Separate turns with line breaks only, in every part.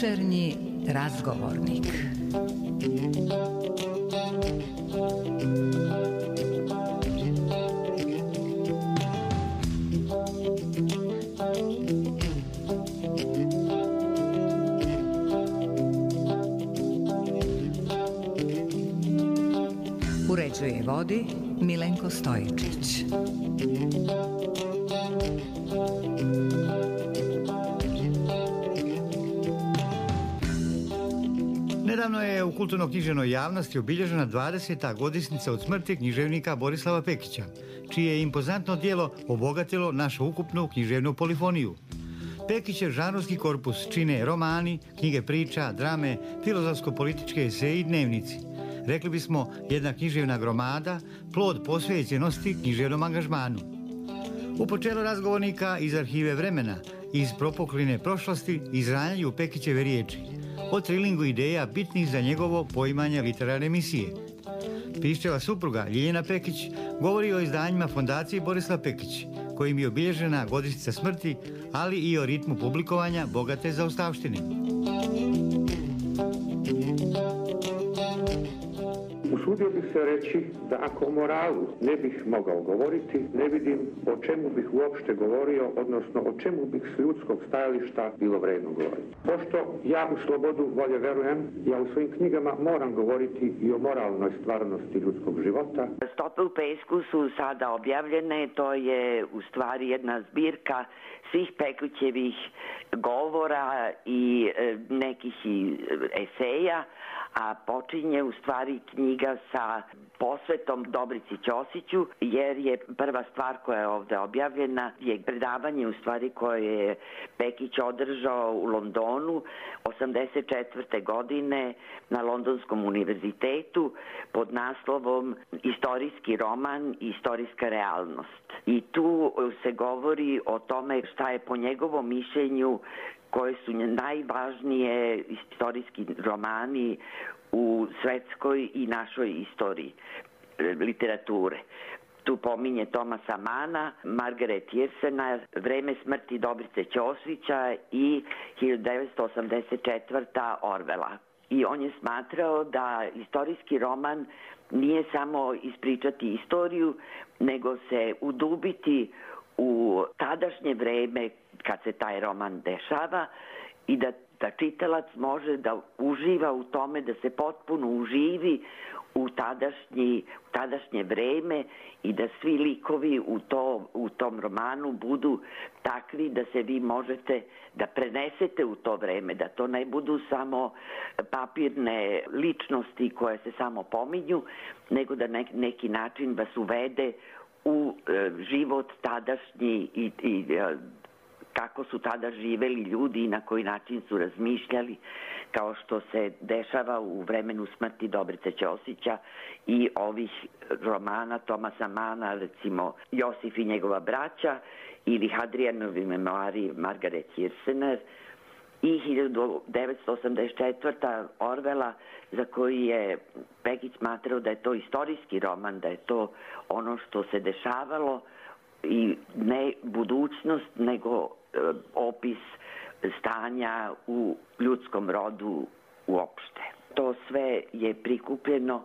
Večernji razgovornik. Uređuje i vodi Milenko Stojičić.
Nedavno je u kulturno-književnoj javnosti obilježena 20. godišnjica od smrti književnika Borislava Pekića, čije je impozantno djelo obogatilo našu ukupnu književnu polifoniju. Pekićev žanrovski korpus čine romani, knjige priča, drame, filozofsko-političke eseji i dnevnici. Rekli bismo jedna književna gromada, plod posvećenosti književnom angažmanu. U počelu razgovornika iz arhive vremena, iz propokline prošlosti, izranjaju Pekićeve riječi o trilingu ideja bitnih za njegovo poimanje literarne misije. Piščeva supruga Ljiljana Pekić govori o izdanjima Fondacije Borislav Pekić, kojim je obilježena godišnjica smrti, ali i o ritmu publikovanja bogate zaostavštine.
Usudio bih se reći da ako o moralu ne bih mogao govoriti, ne vidim o čemu bih uopšte govorio, odnosno o čemu bih s ljudskog stajališta bilo vredno govoriti. Pošto ja u slobodu volje verujem, ja u svojim knjigama moram govoriti i o moralnoj stvarnosti ljudskog života.
Stope u pesku su sada objavljene, to je u stvari jedna zbirka svih Pekićevih govora i nekih eseja, a počinje u stvari knjiga sa posvetom Dobrici Ćosiću, jer je prva stvar koja je ovde objavljena je predavanje u stvari koje je Pekić održao u Londonu 1984. godine na Londonskom univerzitetu pod naslovom Istorijski roman i istorijska realnost. I tu se govori o tome šta je po njegovom mišljenju koje su najvažnije istorijski romani u svetskoj i našoj istoriji literature. Tu pominje Tomasa Mana, Margaret Jersena, Vreme smrti Dobrice Ćosića i 1984. Orwella. I on je smatrao da istorijski roman nije samo ispričati istoriju, nego se udubiti u tadašnje vreme kad se taj roman dešava i da čitalac može da uživa u tome, da se potpuno uživi u tadašnje vreme i da svi likovi u tom romanu budu takvi da se vi možete da prenesete u to vreme, da to ne budu samo papirne ličnosti koje se samo pominju, nego da neki način vas uvede u život tadašnji i kako su tada živeli ljudi i na koji način su razmišljali, kao što se dešava u vremenu smrti Dobrice Ćosića i ovih romana Tomasa Mana, recimo Josif i njegova braća ili Hadrijanovi memoari Margaret Hirsener i 1984. Orwella, za koji je Pekić smatrao da je to istorijski roman, da je to ono što se dešavalo i ne budućnost, nego opis stanja u ljudskom rodu uopšte. To sve je prikupljeno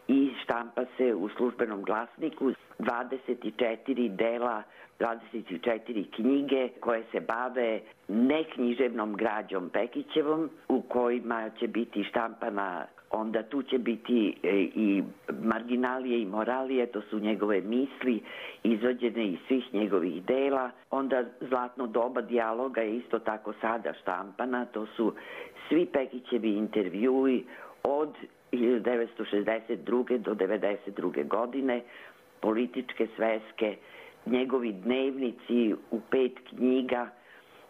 i štampa se u Službenom glasniku 24 dela, 24 knjige koje se bave neknjiževnom građom Pekićevom, u kojima će biti štampana, onda tu će biti i marginalije i moralije, to su njegove misli izvađene iz svih njegovih dela. Onda Zlatno doba dijaloga je isto tako sada štampana, to su svi Pekićevi intervjui od 1962. do 1992. godine, političke sveske, njegovi dnevnici u 5 knjiga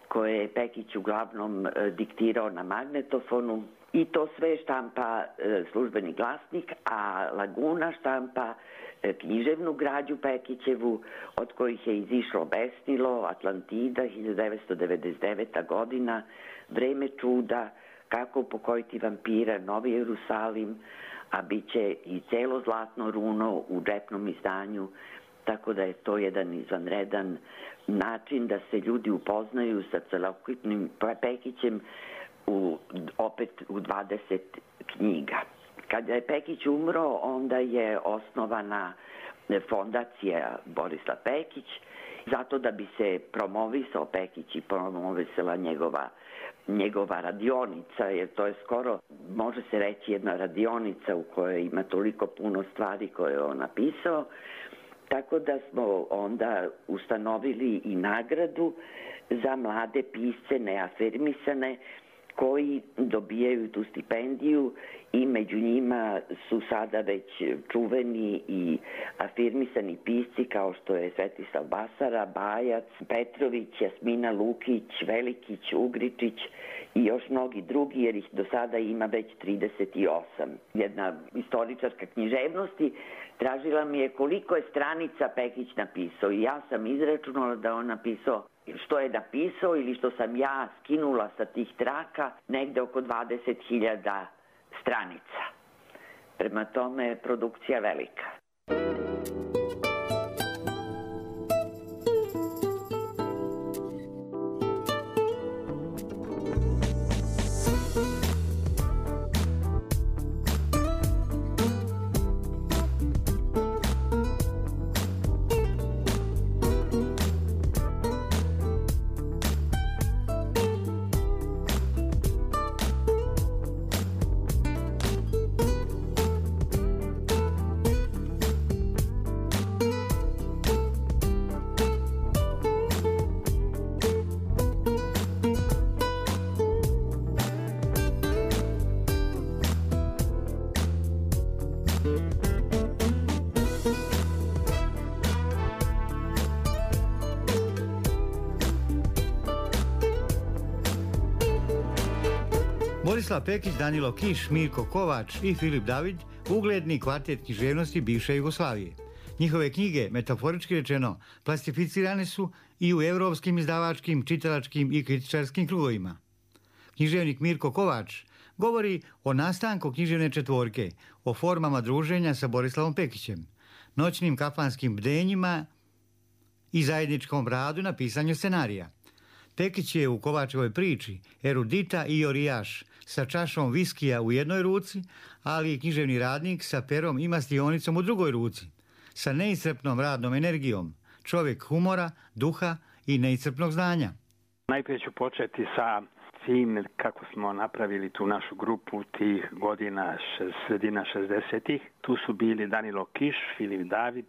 koje je Pekić uglavnom diktirao na magnetofonu. I to sve štampa Službeni glasnik, a Laguna štampa književnu građu Pekićevu, od kojih je izišlo Besnilo, Atlantida, 1999. godina, Vreme čuda, Kako pokojiti vampira, Novi Jerusalim, a bit će i celo Zlatno runo u džepnom izdanju, tako da je to jedan izvanredan način da se ljudi upoznaju sa celokupnim Pekićem opet u 20 knjiga. Kada je Pekić umro, onda je osnovana fondacija Borislav Pekić, zato da bi se promovisao Pekić i promovisala njegova radionica, jer to je skoro, može se reći, jedna radionica u kojoj ima toliko puno stvari koje je on napisao. Tako da smo onda ustanovili i nagradu za mlade pisce neafirmisane koji dobijaju tu stipendiju i među njima su sada već čuveni i afirmisani pisci kao što je Svetislav Basara, Bajac, Petrović, Jasmina Lukić, Velikić, Ugričić i još mnogi drugi, jer ih do sada ima već 38. Jedna istoričarka književnosti tražila mi je koliko je stranica Pekić napisao i ja sam izračunala da on napisao što je napisao ili što sam ja skinula sa tih traka, negde oko 20.000 stranica. Prema tome je produkcija velika.
Borislav Pekić, Danilo Kiš, Mirko Kovač i Filip David, ugledni kvartet književnosti bivše Jugoslavije. Njihove knjige, metaforički rečeno, plastificirane su i u evropskim izdavačkim, čitalačkim i kritičarskim krugovima. Književnik Mirko Kovač govori o nastanku književne četvorke, o formama druženja sa Borislavom Pekićem, noćnim kafanskim bdenjima i zajedničkom radu na pisanju scenarija. Pekić je u Kovačevoj priči erudita i orijaš sa čašom viskija u jednoj ruci, ali i književni radnik sa perom i mastionicom u drugoj ruci, sa neiscrpnom radnom energijom, čovjek humora, duha i neiscrpnog znanja.
Najprije ću početi sa tim kako smo napravili tu našu grupu tih godina, sredina 60-ih. Tu su bili Danilo Kiš, Filip David,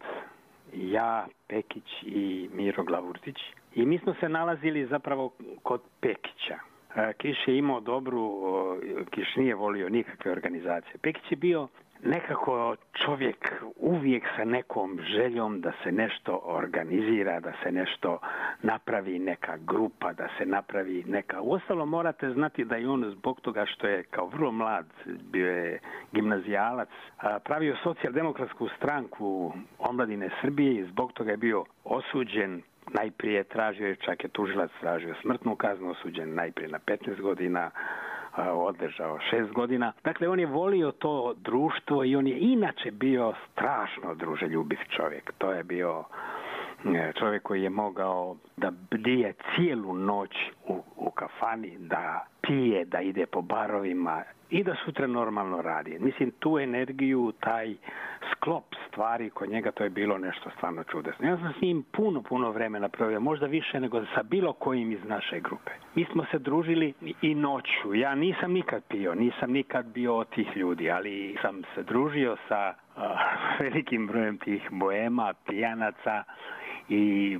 ja, Pekić i Miro Glavurdić. I mi smo se nalazili zapravo kod Pekića. Kiš je imao Kiš nije volio nikakve organizacije. Pekić je bio nekako čovjek uvijek sa nekom željom da se nešto organizira, da se nešto napravi, neka grupa, da se napravi neka... Uostalom morate znati da i on zbog toga što je kao vrlo mlad, bio je gimnazijalac, pravio socijaldemokratsku stranku omladine Srbije i zbog toga je bio osuđen. Najprije čak je tužilac tražio smrtnu kaznu, osuđen najprije na 15 godina, odležao 6 godina. Dakle, on je volio to društvo i on je inače bio strašno druželjubiv čovjek. To je bio čovjek koji je mogao da bdije cijelu noć u kafani, da pije, da ide po barovima i da sutra normalno radi. Mislim, tu energiju, taj sklop stvari kod njega, to je bilo nešto stvarno čudesno. Ja sam s njim puno vremena proveo, možda više nego sa bilo kojim iz naše grupe. Mi smo se družili i noću. Ja nisam nikad pio, nisam nikad bio od tih ljudi, ali sam se družio sa velikim brojem tih boema, pijanaca i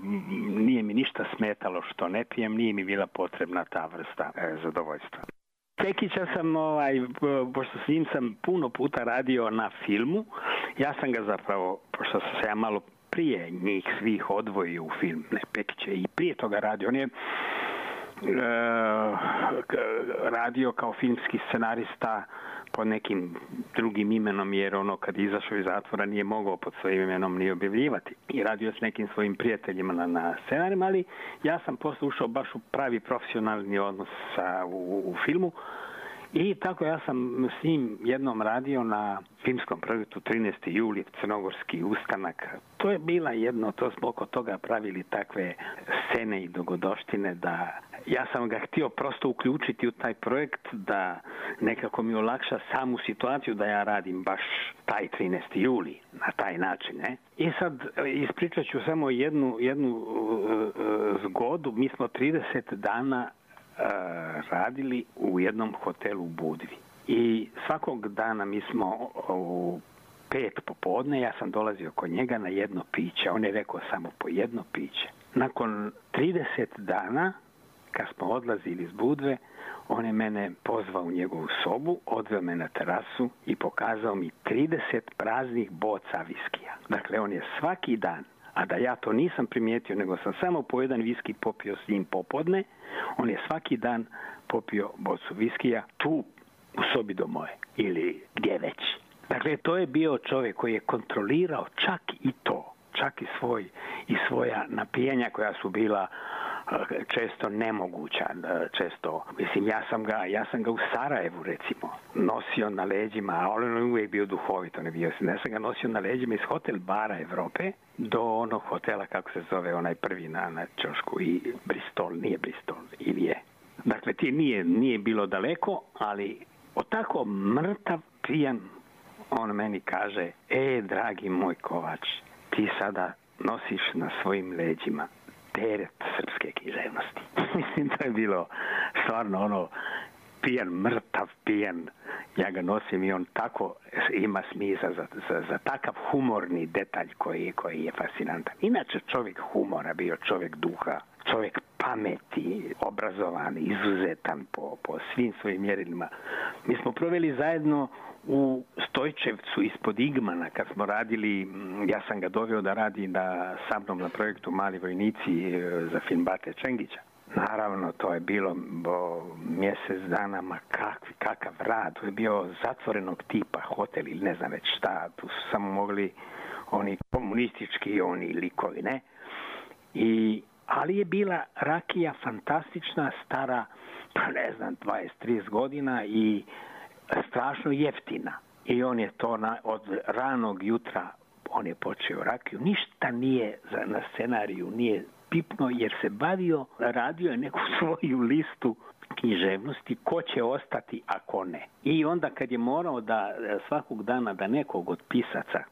nije mi ništa smetalo što ne pijem, nije mi bila potrebna ta vrsta zadovoljstva. Pekića sam, pošto s njim sam puno puta radio na filmu, ja sam ga zapravo, pošto sam se ja malo prije njih svih odvojio u film, Pekić je i prije toga radio, on je radio kao filmski scenarista pod nekim drugim imenom, jer kad izašao iz zatvora nije mogao pod svojim imenom ni objavljivati. I radio s nekim svojim prijateljima na scenarijima, ali ja sam posle ušao baš u pravi profesionalni odnos u filmu I tako ja sam s njim jednom radio na filmskom projektu 13. juli, Crnogorski ustanak. To je bila to smo oko toga pravili takve scene i dogodoštine da ja sam ga htio prosto uključiti u taj projekt da nekako mi olakša samu situaciju da ja radim baš taj 13. juli na taj način. Ne? I sad ispričat ću samo jednu zgodu. Mi smo 30 dana radili u jednom hotelu u Budvi. I svakog dana mi smo u 5 popodne, ja sam dolazio kod njega na jedno piće. On je rekao samo po jedno piće. Nakon 30 dana, kad smo odlazili iz Budve, on je mene pozvao u njegovu sobu, odveo me na terasu i pokazao mi 30 praznih boca viskija. Dakle, on je svaki dan, a da ja to nisam primijetio, nego sam samo po jedan viski popio s njim popodne, on je svaki dan popio bocu viskija tu u sobi do moje ili gdje već. Dakle, to je bio čovjek koji je kontrolirao čak i to, čak i svoja napijanja koja su bila često nemoguća, često, mislim, ja sam ga u Sarajevu, recimo, nosio na leđima, a on je uvijek bio duhovito, ja sam ga nosio na leđima iz hotel bara Evrope do onog hotela, kako se zove, onaj prvi na ćošku, i nije Bristol, ili je. Dakle, ti nije bilo daleko, ali tako mrtav, pijan, on meni kaže, dragi moj Kovač, ti sada nosiš na svojim leđima teret srpske književnosti. Mislim, to je bilo stvarno pijan, mrtav pijan. Ja ga nosim i on tako ima smisla za takav humorni detalj koji je fascinantan. Inače, čovjek humora bio, čovjek duha, čovjek pameti, obrazovan, izuzetan po svim svojim mjerilima. Mi smo proveli zajedno u Stojčevcu ispod Igmana kad smo radili, ja sam ga doveo da radi sa mnom na projektu Mali vojnici za film Bate Čengića. Naravno, to je bilo mjesec dana, ma kakav rad, to je bio zatvorenog tipa hotel ili ne znam već šta, tu su samo mogli oni komunistički likovi, ne? Ali je bila rakija fantastična, stara, pa ne znam, 20-30 godina i strašno jeftina. I on je to od ranog jutra, on je počeo rakiju. Ništa nije na scenariju, nije pipno jer se radio je neku svoju listu književnosti, ko će ostati, a ko ne. I onda kad je morao da svakog dana da nekog od pisaca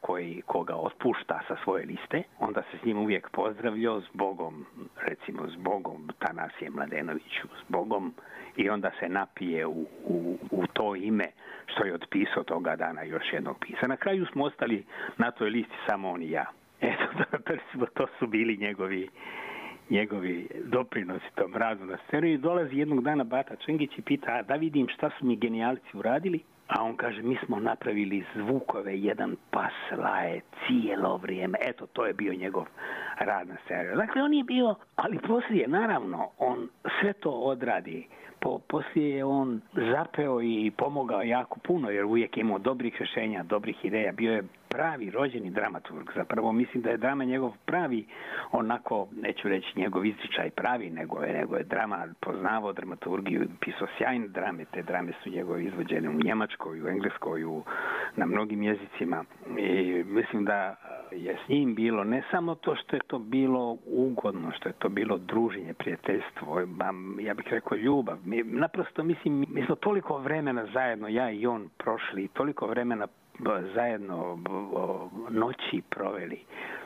koga otpušta sa svoje liste, onda se s njim uvijek pozdravljao s Bogom, recimo s Bogom Tanasije Mladenoviću, s Bogom, i onda se napije u to ime što je otpisao toga dana još jednog pisa. Na kraju smo ostali na toj listi samo on i ja. Eto, to su bili njegovi doprinosi tom radu na scenu. I dolazi jednog dana Bata Čengić i pita, da vidim šta su mi genijalci uradili, a on kaže, mi smo napravili zvukove, jedan pas laje cijelo vrijeme. Eto, to je bio njegov rad na scenu. Dakle, on je bio, ali poslije, naravno, on sve to odradi. Poslije je on zapeo i pomogao jako puno, jer uvijek imao dobrih rješenja, dobrih ideja. Bio je pravi rođeni dramaturg. Zapravo mislim da je drama njegov pravi, onako, neću reći njegov izričaj pravi, nego je drama, poznavao dramaturgiju, pisao sjajne drame. Te drame su njegove izvođene u Njemačkoj, u Engleskoj, na mnogim jezicima. I mislim da je s njim bilo ne samo to što je to bilo ugodno, što je to bilo druženje, prijateljstvo, ja bih rekao ljubav. Naprosto, mislim, mi smo toliko vremena zajedno, ja i on, prošli, toliko vremena zajedno noći proveli.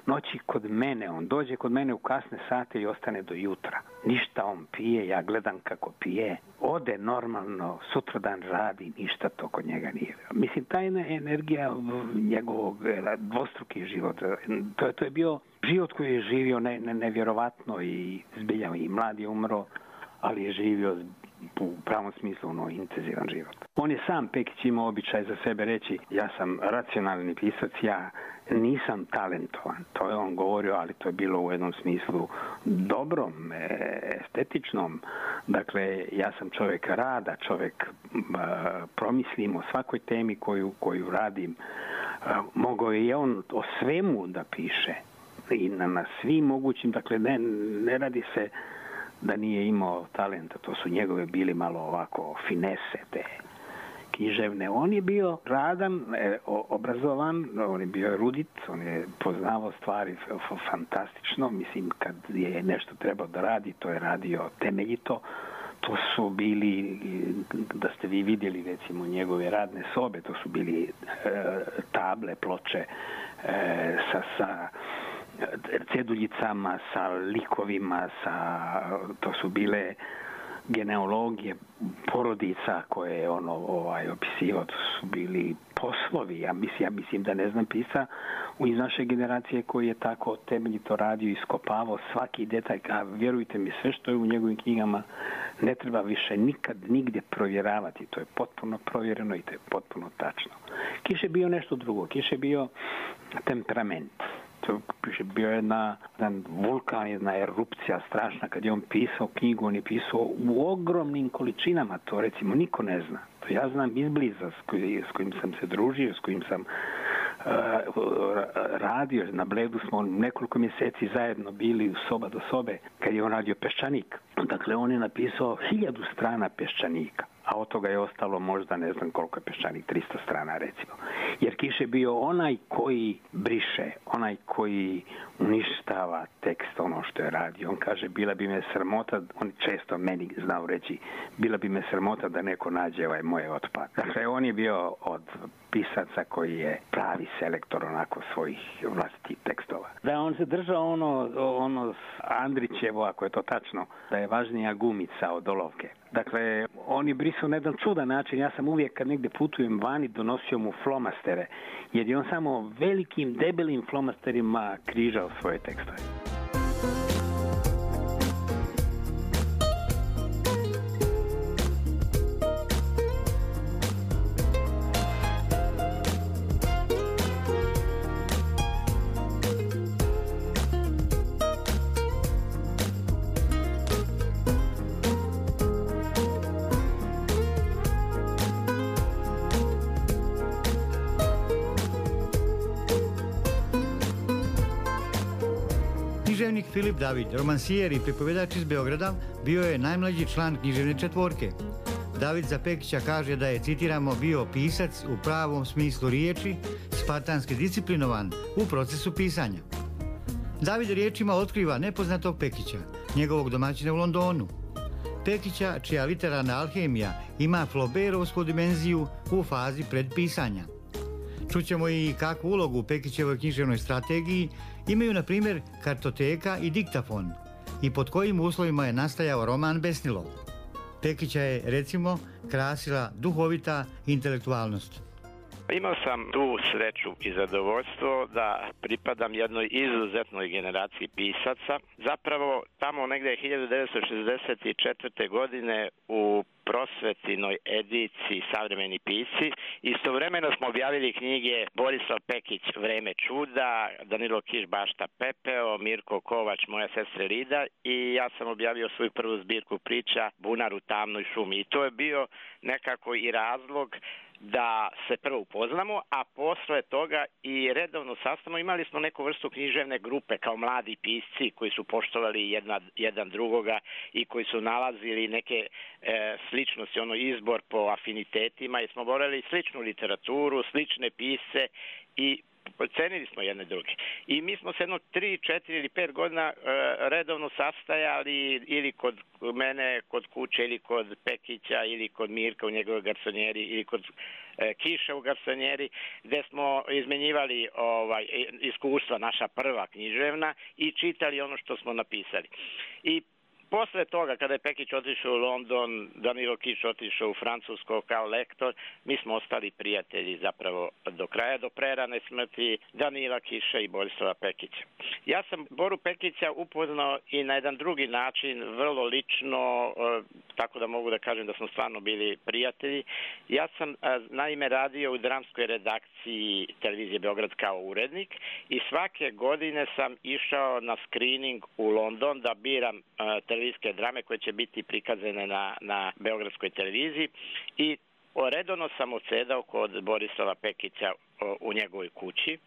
Noći kod mene, on dođe kod mene u kasne sate i ostane do jutra. Ništa on pije, ja gledam kako pije. Ode normalno, sutradan radi, ništa to kod njega nije. Mislim, ta energija njegovog dvostruki život, to je bio život koji je živio nevjerovatno i zbilja i mlad je umro, ali je živio u pravom smislu intenzivan život. On je sam, Pekić, imao običaj za sebe reći, ja sam racionalni pisac, ja nisam talentovan. To je on govorio, ali to je bilo u jednom smislu dobrom, estetičnom. Dakle, ja sam čovjek rada, čovjek promislim o svakoj temi koju radim. Mogao je on o svemu da piše i na svim mogućim, dakle ne radi se da nije imao talenta, to su njegove bili malo ovako finese, te književne. On je bio radan, obrazovan, on je bio erudit, on je poznavao stvari fantastično. Mislim, kad je nešto trebao da radi, to je radio temeljito. To su bili, da ste vi vidjeli recimo njegove radne sobe, to su bili table, ploče sa ceduljicama, sa likovima, to su bile genealogije porodica koje je opisivao, to su bili poslovi. Ja mislim da ne znam pisa iz naše generacije koji je tako temeljito radio, iskopavao svaki detalj, a vjerujte mi, sve što je u njegovim knjigama ne treba više nikad nigdje provjeravati. To je potpuno provjereno i to je potpuno tačno. Kiš je bio nešto drugo. Kiš je bio temperament. To je bio jedan vulkan, jedna erupcija strašna. Kad je on pisao knjigu, on je pisao u ogromnim količinama. To recimo niko ne zna. To ja znam izbliza s kojim sam se družio, s kojim sam radio. Na Bledu smo nekoliko mjeseci zajedno bili soba do sobe kad je on radio Peščanik. Dakle, on je napisao 1000 strana Peščanika, a od toga je ostalo možda ne znam koliko je Peščanik, 300 strana recimo. Jer Kiš je bio onaj koji briše, onaj koji uništava tekst, ono što je radio. On kaže, bila bi me sramota, on često meni znao reći, bila bi me sramota da neko nađe ovaj moj otpad. Dakle, on je bio od pisaca koji je pravi selektor onako svojih vlastitih tekstova. Da, on se držao ono Andrićevo, ako je to tačno, da je važnija gumica od olovke. Dakle, on je brisao na jedan čudan način. Ja sam uvijek kad negdje putujem vani donosio mu flomastere, jer je on samo velikim, debelim flomasterima križao svoje tekstove.
Književnik Filip David, romansijer i pripovedač iz Beograda, bio je najmlađi član književne četvorke. David za Pekića kaže da je, citiramo, bio pisac u pravom smislu riječi, spartanski disciplinovan u procesu pisanja. David riječima otkriva nepoznatog Pekića, njegovog domaćina u Londonu. Pekića, čija literarna alhemija ima Flaubertovsku dimenziju u fazi predpisanja. Čućemo i kakvu ulogu u Pekićevoj književnoj strategiji imaju, na primjer, kartoteka i diktafon i pod kojim uslovima je nastajao roman Besnilo. Pekića je, recimo, krasila duhovita intelektualnost.
Imao sam tu sreću i zadovoljstvo da pripadam jednoj izuzetnoj generaciji pisaca. Zapravo, tamo negdje 1964. godine u prosvetinoj ediciji Savremeni pisci istovremeno smo objavili knjige Borislav Pekić Vreme čuda, Danilo Kiš Bašta pepeo, Mirko Kovač Moja sestra Lida i ja sam objavio svoju prvu zbirku priča Bunar u tamnoj šumi. I to je bio nekako i razlog da se prvo upoznamo, a posle toga i redovno sastavno imali smo neku vrstu književne grupe kao mladi pisci koji su poštovali jedan drugoga i koji su nalazili neke sličnosti, izbor po afinitetima i smo borali sličnu literaturu, slične pisce i cenili smo jedne druge. I mi smo se 3, 4 ili 5 godina redovno sastajali ili kod mene, kod kuće, ili kod Pekića, ili kod Mirka u njegovoj garsonjeri, ili kod Kiša u garsonjeri, gdje smo izmenjivali iskustva, naša prva književna, i čitali ono što smo napisali. I posle toga, kada je Pekić otišao u London, Danilo Kiš otišao u Francusko kao lektor, mi smo ostali prijatelji zapravo do kraja, do prerane smrti Danila Kiša i Borislava Pekića. Ja sam Boru Pekića upoznao i na jedan drugi način, vrlo lično, tako da mogu da kažem da smo stvarno bili prijatelji. Ja sam naime radio u dramskoj redakciji televizije Beograd kao urednik i svake godine sam išao na screening u London da biram televizijske drame koje će biti prikazane na beogradskoj televiziji i redovno sam odsedao kod Borislava Pekića u njegovoj kući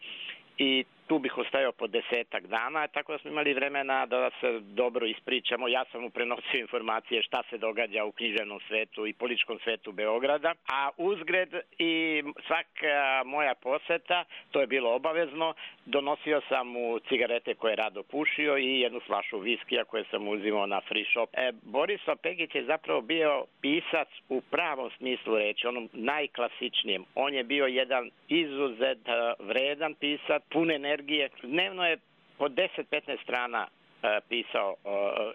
i tu bih ostajao po 10 dana, tako da smo imali vremena da se dobro ispričamo. Ja sam mu prenosio informacije šta se događa u književnom svetu i političkom svetu Beograda, a uzgred i svaka moja poseta, to je bilo obavezno, donosio sam mu cigarete koje je rado pušio i jednu flašu viskija koje sam uzimao na free shop. Borislav Pekić je zapravo bio pisac u pravom smislu reči, onom najklasičnijem. On je bio jedan izuzet vredan pisac, pun energije. Dnevno je po 10-15 strana pisao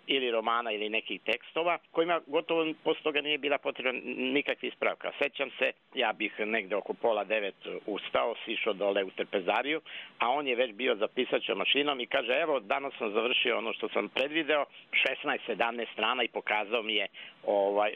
ili romana ili nekih tekstova kojima gotovo posle toga nije bila potrebna nikakva ispravka. Sećam se, ja bih negde oko 8:30 ustao, sišao dole u trpezariju, a on je već bio za pisaćom mašinom i kaže, evo, danas sam završio ono što sam predvideo, 16-17 strana i pokazao mi je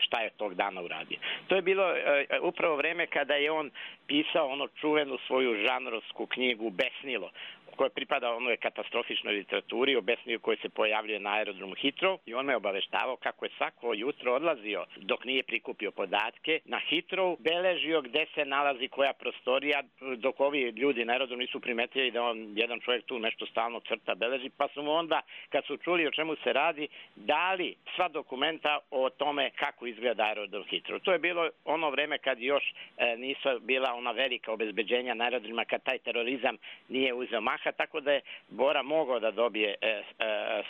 šta je tog dana uradio. To je bilo upravo vreme kada je on pisao ono čuvenu svoju žanrovsku knjigu Besnilo, koja pripada onoj katastrofičnoj literaturi, o besniju koji se pojavljuje na aerodromu Hitrov, i on me obaveštavao kako je svako jutro odlazio dok nije prikupio podatke na Hitrov, beležio gde se nalazi koja prostorija, dok ovi ljudi na aerodromu nisu primetili da on, jedan čovjek tu nešto stalno crta, beleži, pa su mu onda, kad su čuli o čemu se radi, dali sva dokumenta o tome kako izgleda aerodrom Hitrov. To je bilo ono vreme kad još nisu bila ona velika obezbeđenja na aerodromima, kad taj terorizam nije uzeo maha, tako da je Bora mogao da dobije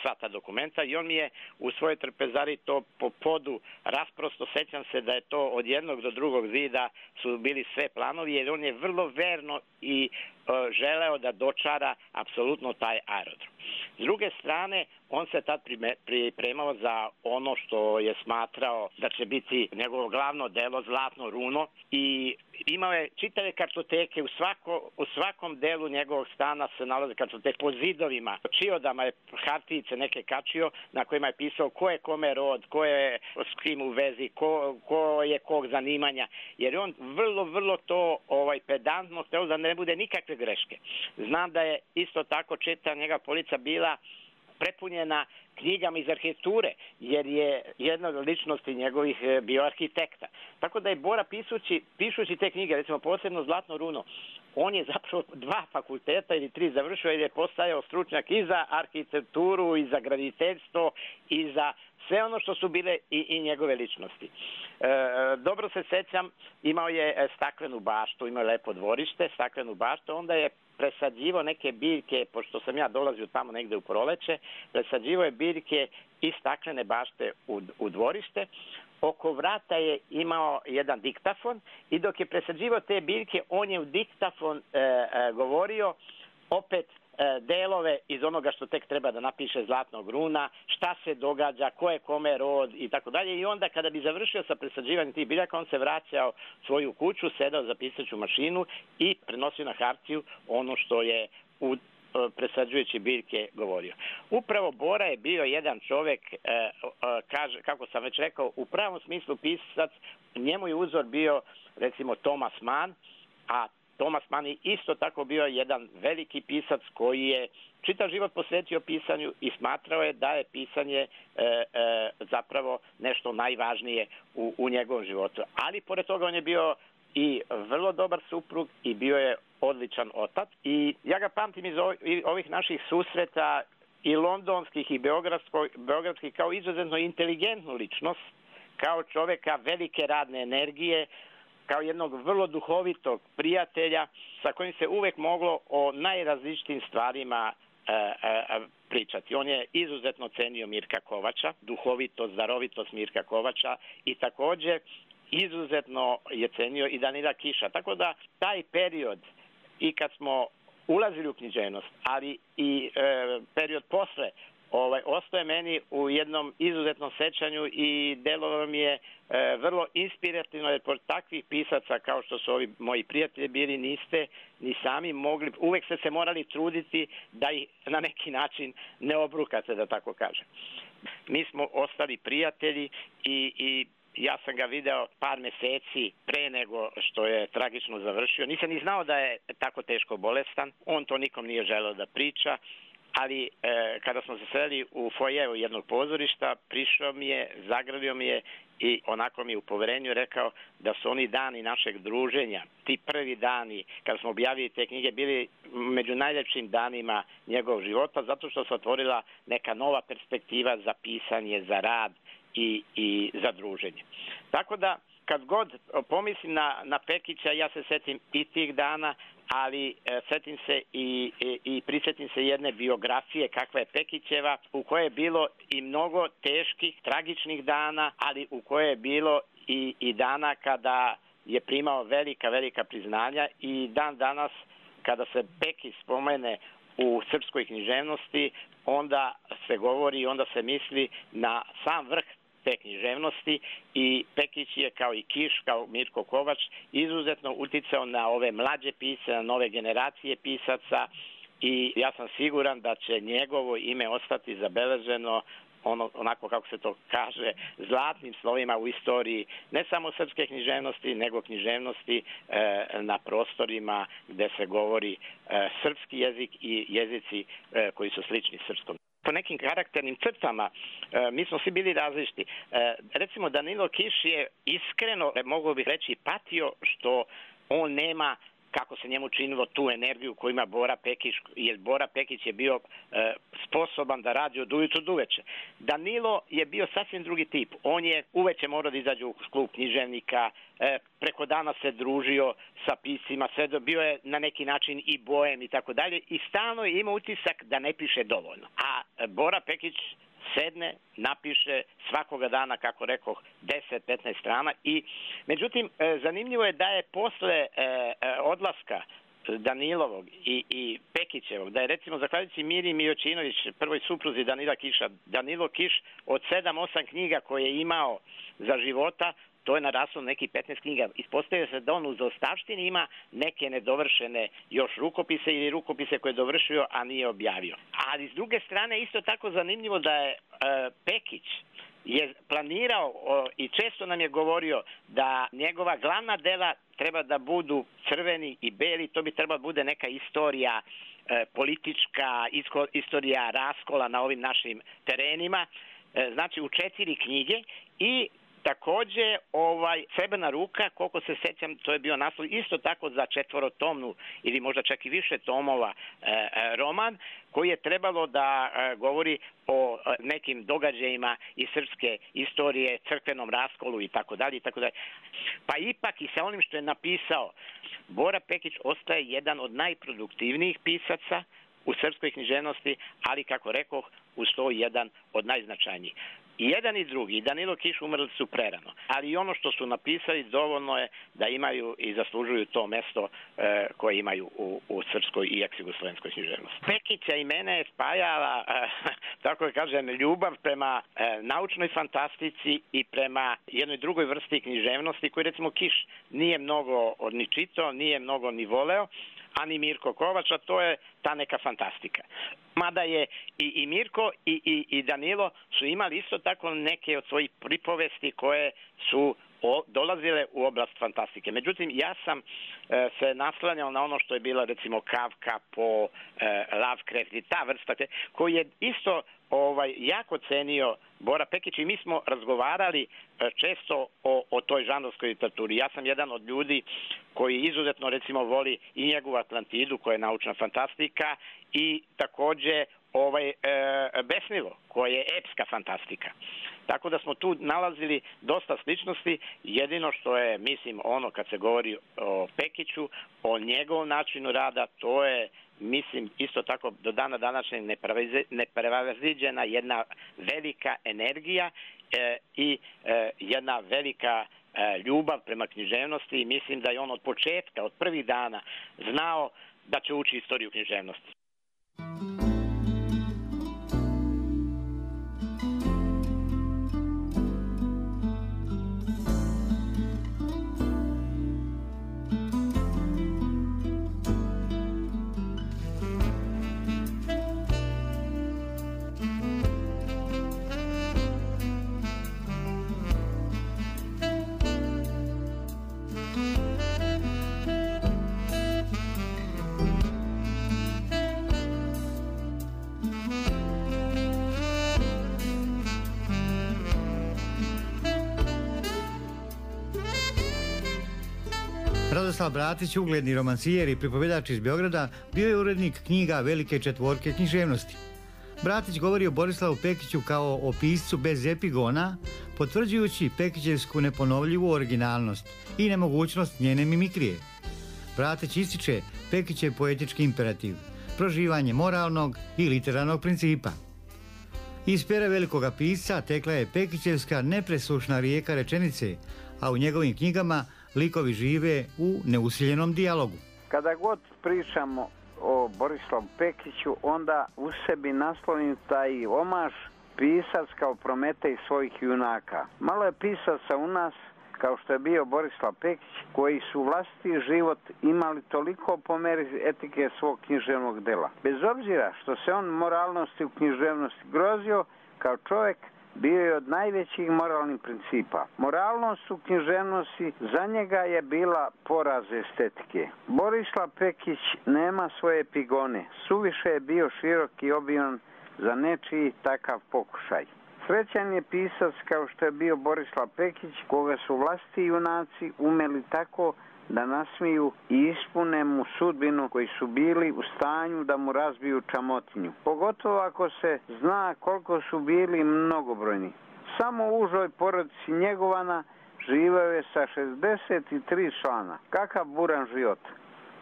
sva ta dokumenta i on mi je u svojoj trpezari to po podu rasprosto. Sećam se da je to od jednog do drugog zida su bili sve planovi, jer on je vrlo verno i želeo da dočara apsolutno taj aerodrom. S druge strane, on se tad pripremao za ono što je smatrao da će biti njegovo glavno delo, Zlatno runo, i imao je čitave kartoteke, u svakom delu njegovog stana se nalaze kartoteke po zidovima, čiodama je hartijice neke kačio na kojima je pisao ko je kome rod, ko je s kim u vezi, ko je kog zanimanja, jer on vrlo to pedantno hteo da ne bude nikakve greške. Znam da je isto tako čita njega polica bila prepunjena knjigama iz arhitekture, jer je jedna od ličnosti njegovih bio arhitekta. Tako da je Bora pišući te knjige, recimo posebno Zlatno runo, on je zapravo 2 fakulteta ili 3 završio, jer je postajao stručnjak i za arhitekturu, i za graditeljstvo, i za sve ono što su bile i njegove ličnosti. Dobro se sećam, imao je staklenu baštu, imao je lepo dvorište, staklenu baštu, onda je presađivo neke biljke, pošto sam ja dolazio tamo negde u proleće, presađivo je biljke iz staklene bašte u dvorište. Oko vrata je imao jedan diktafon i dok je presađivo te biljke, on je u diktafon govorio opet delove iz onoga što tek treba da napiše Zlatnog runa, šta se događa, ko je kome rod i tako dalje. I onda kada bi završio sa presađivanjem tih biljaka, on se vraćao svoju kuću, sedao za pisaću mašinu i prenosio na hartiju ono što je u presađujući biljke govorio. Upravo Bora je bio jedan čovek, kako sam već rekao, u pravom smislu pisac. Njemu je uzor bio recimo Thomas Mann, a Thomas Mann je isto tako bio jedan veliki pisac koji je čitav život posvetio pisanju i smatrao je da je pisanje zapravo nešto najvažnije u njegovom životu. Ali pored toga on je bio i vrlo dobar suprug i bio je odličan otac. I ja ga pamtim iz ovih naših susreta i londonskih i beogradskih kao izuzetno inteligentnu ličnost, kao čoveka velike radne energije, kao jednog vrlo duhovitog prijatelja sa kojim se uvek moglo o najrazličitim stvarima pričati. On je izuzetno cenio Mirka Kovača, duhovitost, darovitost Mirka Kovača, i takođe izuzetno je cenio i Danila Kiša. Tako da taj period, i kad smo ulazili u književnost, ali i period posle, ostaje meni u jednom izuzetnom sećanju i delovalo mi je vrlo inspirativno, jer pored takvih pisaca kao što su ovi moji prijatelji bili, niste ni sami mogli, uvek ste se morali truditi da ih na neki način ne obrukate, da tako kažem. Mi smo ostali prijatelji i ja sam ga video par meseci pre nego što je tragično završio. Nisam ni znao da je tako teško bolestan. On to nikom nije želeo da priča. ali kada smo se sreli u fojeru jednog pozorišta, prišao mi je, zagrlio mi je i onako mi u poverenju rekao da su oni dani našeg druženja, ti prvi dani kada smo objavili te knjige, bili među najljepšim danima njegovog života, zato što se otvorila neka nova perspektiva za pisanje, za rad i za druženje. Tako da kad god pomislim na Pekića, ja se setim i tih dana, ali setim se i prisjetim se jedne biografije kakva je Pekićeva, u kojoj je bilo i mnogo teških, tragičnih dana, ali u kojoj je bilo i dana kada je primao velika priznanja i dan danas kada se Pekić spomene u srpskoj književnosti, onda se govori, onda se misli na sam vrh te književnosti i Pekić je kao i Kiš, kao Mirko Kovač izuzetno uticao na ove mlađe pisce, na nove generacije pisaca i ja sam siguran da će njegovo ime ostati zabeleženo onako kako se to kaže, zlatnim slovima u istoriji ne samo srpske književnosti, nego književnosti na prostorima gde se govori srpski jezik i jezici koji su slični srpskom. Po nekim karakternim crtama mi smo svi bili različiti. Recimo Danilo Kiš je iskreno, mogu bih reći, patio što on nema, kako se njemu činilo, tu energiju koju ima Bora Pekić, jer Bora Pekić je bio sposoban da radi od ujutru do uveče. Danilo je bio sasvim drugi tip. On je uveče morao da izađe u klub književnika, preko dana se družio sa piscima, bio je na neki način i bojem i tako dalje i stalno je imao utisak da ne piše dovoljno. A Bora Pekić sedne, napiše svakoga dana, kako rekoh, 10-15 strana i međutim zanimljivo je da je posle odlaska Danilovog i Pekićevog, da je recimo zahvaljujući Miri Mijočinović, prvoj supruzi Danila Kiša, Danilo Kiš od 7-8 knjiga koje je imao za života, to je naraslo neki 15 knjiga. Ispostavio se da on u zaostavštini ima neke nedovršene još rukopise ili rukopise koje je dovršio, a nije objavio. Ali s druge strane isto tako zanimljivo da je Pekić je planirao i često nam je govorio da njegova glavna dela treba da budu crveni i beli, to bi trebalo bude neka istorija politička, istorija raskola na ovim našim terenima, znači u 4 knjige i takođe Srebrna ruka, koliko se sećam, to je bio naslov isto tako za 4-tomnu ili možda čak i više tomova roman koji je trebalo da govori o nekim događajima iz srpske istorije, crkvenom raskolu i tako dalje. Pa ipak i sa onim što je napisao, Bora Pekić ostaje jedan od najproduktivnijih pisaca u srpskoj književnosti, ali kako rekoh, uz to jedan od najznačajnijih. I jedan i drugi, i Danilo Kiš umrli su prerano, ali i ono što su napisali dovoljno je da imaju i zaslužuju to mesto koje imaju u srpskoj i eks-jugoslovenskoj književnosti. Pekića i mene je spajala, tako da kažem, ljubav prema naučnoj fantastici i prema jednoj drugoj vrsti književnosti koju recimo Kiš nije mnogo ni čitao, nije mnogo ni voleo, ani Mirko Kovač, a to je ta neka fantastika. Mada je i Mirko i Danilo su imali isto tako neke od svojih pripovesti koje su dolazile u oblast fantastike. Međutim, ja sam se naslanjao na ono što je bila recimo Kafka, po Lovecraft i ta vrsta, koji je isto jako cenio Bora Pekić i mi smo razgovarali često o toj žanrovskoj literaturi. Ja sam jedan od ljudi koji izuzetno recimo voli i njegovu Atlantidu koja je naučna fantastika i takođe Besnilo koje je epska fantastika. Tako da smo tu nalazili dosta sličnosti, jedino što je, mislim, ono kad se govori o Pekiću, o njegovom načinu rada, to je, mislim, isto tako do dana današnjeg neprevaziđena jedna velika energija i jedna velika ljubav prema književnosti i mislim da je on od početka, od prvih dana znao da će uči istoriju književnosti.
Radoslav Bratić, ugledni romancijer i pripovjedač iz Beograda, bio je urednik knjiga Velike četvorke književnosti. Bratić govori o Borislavu Pekiću kao o piscu bez epigona, potvrđujući Pekićevsku neponovljivu originalnost i nemogućnost njene mimikrije. Bratić ističe Pekićev poetički imperativ, proživanje moralnog i literarnog principa. Iz pera velikoga pisca tekla je Pekićevska nepresušna rijeka rečenice, a u njegovim knjigama likovi žive u neusiljenom dijalogu.
Kada god pričamo o Borislavu Pekiću, onda u sebi naslovim taj omaž pisac kao Prometej svojih junaka. Malo je pisaca u nas, kao što je bio Borislav Pekić, koji su vlastiti život imali toliko po meri etike svog književnog dela. Bez obzira što se on moralnosti u književnosti grozio, kao čovjek bio je od najvećih moralnih principa. Moralnost u književnosti za njega je bila poraz estetike. Borislav Pekić nema svoje epigone, suviše je bio širok i obiman za nečiji takav pokušaj. Srećan je pisac kao što je bio Borislav Pekić, koga su vlastiti junaci umeli tako da nasmiju i ispune mu sudbinu koji su bili u stanju da mu razbiju čamotinju. Pogotovo ako se zna koliko su bili mnogobrojni. Samo u užoj porodici njegovana živeo je sa 63 člana. Kakav buran život.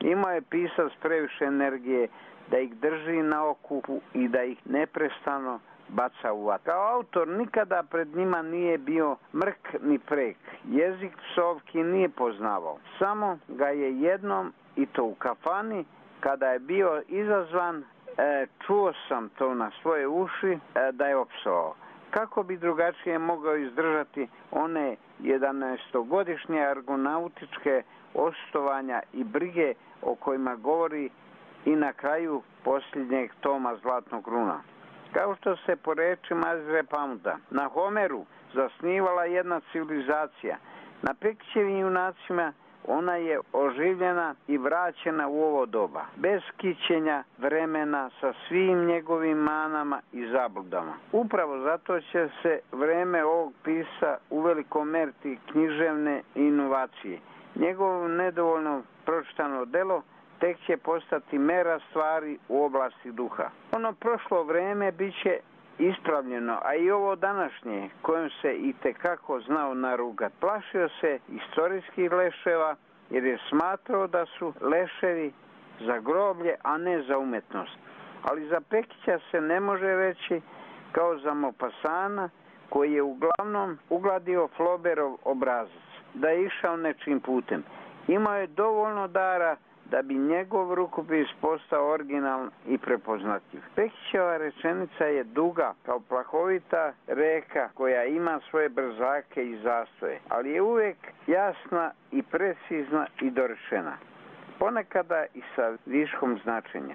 Imao je pisac previše energije da ih drži na okupu i da ih neprestano baca u vatru. Kao autor nikada pred njima nije bio mrk ni prek. Jezik psovki nije poznavao. Samo ga je jednom, i to u kafani, kada je bio izazvan, čuo sam to na svoje uši, da je opsovao. Kako bi drugačije mogao izdržati one 11-godišnje argonautičke ostovanja i brige o kojima govori i na kraju posljednjeg toma Zlatnog runa. Kao što se po rečima Ezre Pounda na Homeru zasnivala jedna civilizacija, na Pekićevim junacima ona je oživljena i vraćena u ovo doba, bez kićenja vremena sa svim njegovim manama i zabludama. Upravo zato će se vreme ovog pisa uveliko meriti književne inovacije. Njegovo nedovoljno pročitano delo tek će postati mera stvari u oblasti duha. Ono prošlo vreme bit će ispravljeno, a i ovo današnje, kojem se i tekako znao narugat. Plašio se istorijskih leševa, jer je smatrao da su leševi za groblje, a ne za umetnost. Ali za Pekića se ne može reći kao za Maupassana, koji je uglavnom ugladio Flaubertov obrazac, da je išao nečim putem. Imao je dovoljno dara da bi njegov rukopis postao originalan i prepoznatljiv. Pekićeva rečenica je duga kao plahovita reka koja ima svoje brzake i zastoje, ali je uvijek jasna i precizna i dorečena. Ponekada i sa viškom značenja.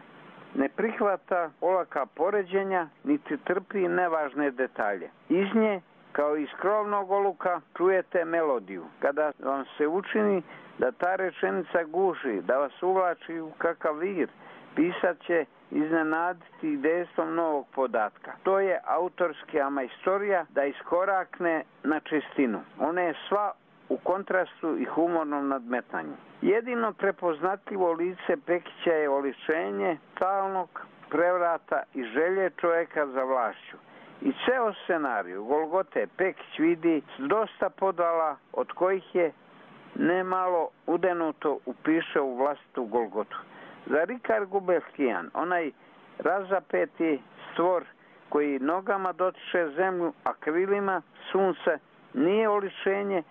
Ne prihvata olaka poređenja, niti trpi nevažne detalje. Iz nje, kao iz krovnog oluka, čujete melodiju. Kada vam se učini da ta rečenica guši, da vas uvlači u kakav vir, pisac će iznenaditi dejstvom novog podatka. To je autorska majstorija da iskorakne na čistinu. Ona je sva u kontrastu i humornom nadmetanju. Jedino prepoznatljivo lice Pekića je oličenje stalnog prevrata i želje čovjeka za vlašću. I ceo scenariju Golgote Pekić vidi s dosta podvala, od kojih je nemalo udenuto upiše u vlastitu Golgotu. Za Rikard Gubelskijan, onaj razapeti stvor koji nogama dotiče zemlju, a krilima sunce, nije oličenje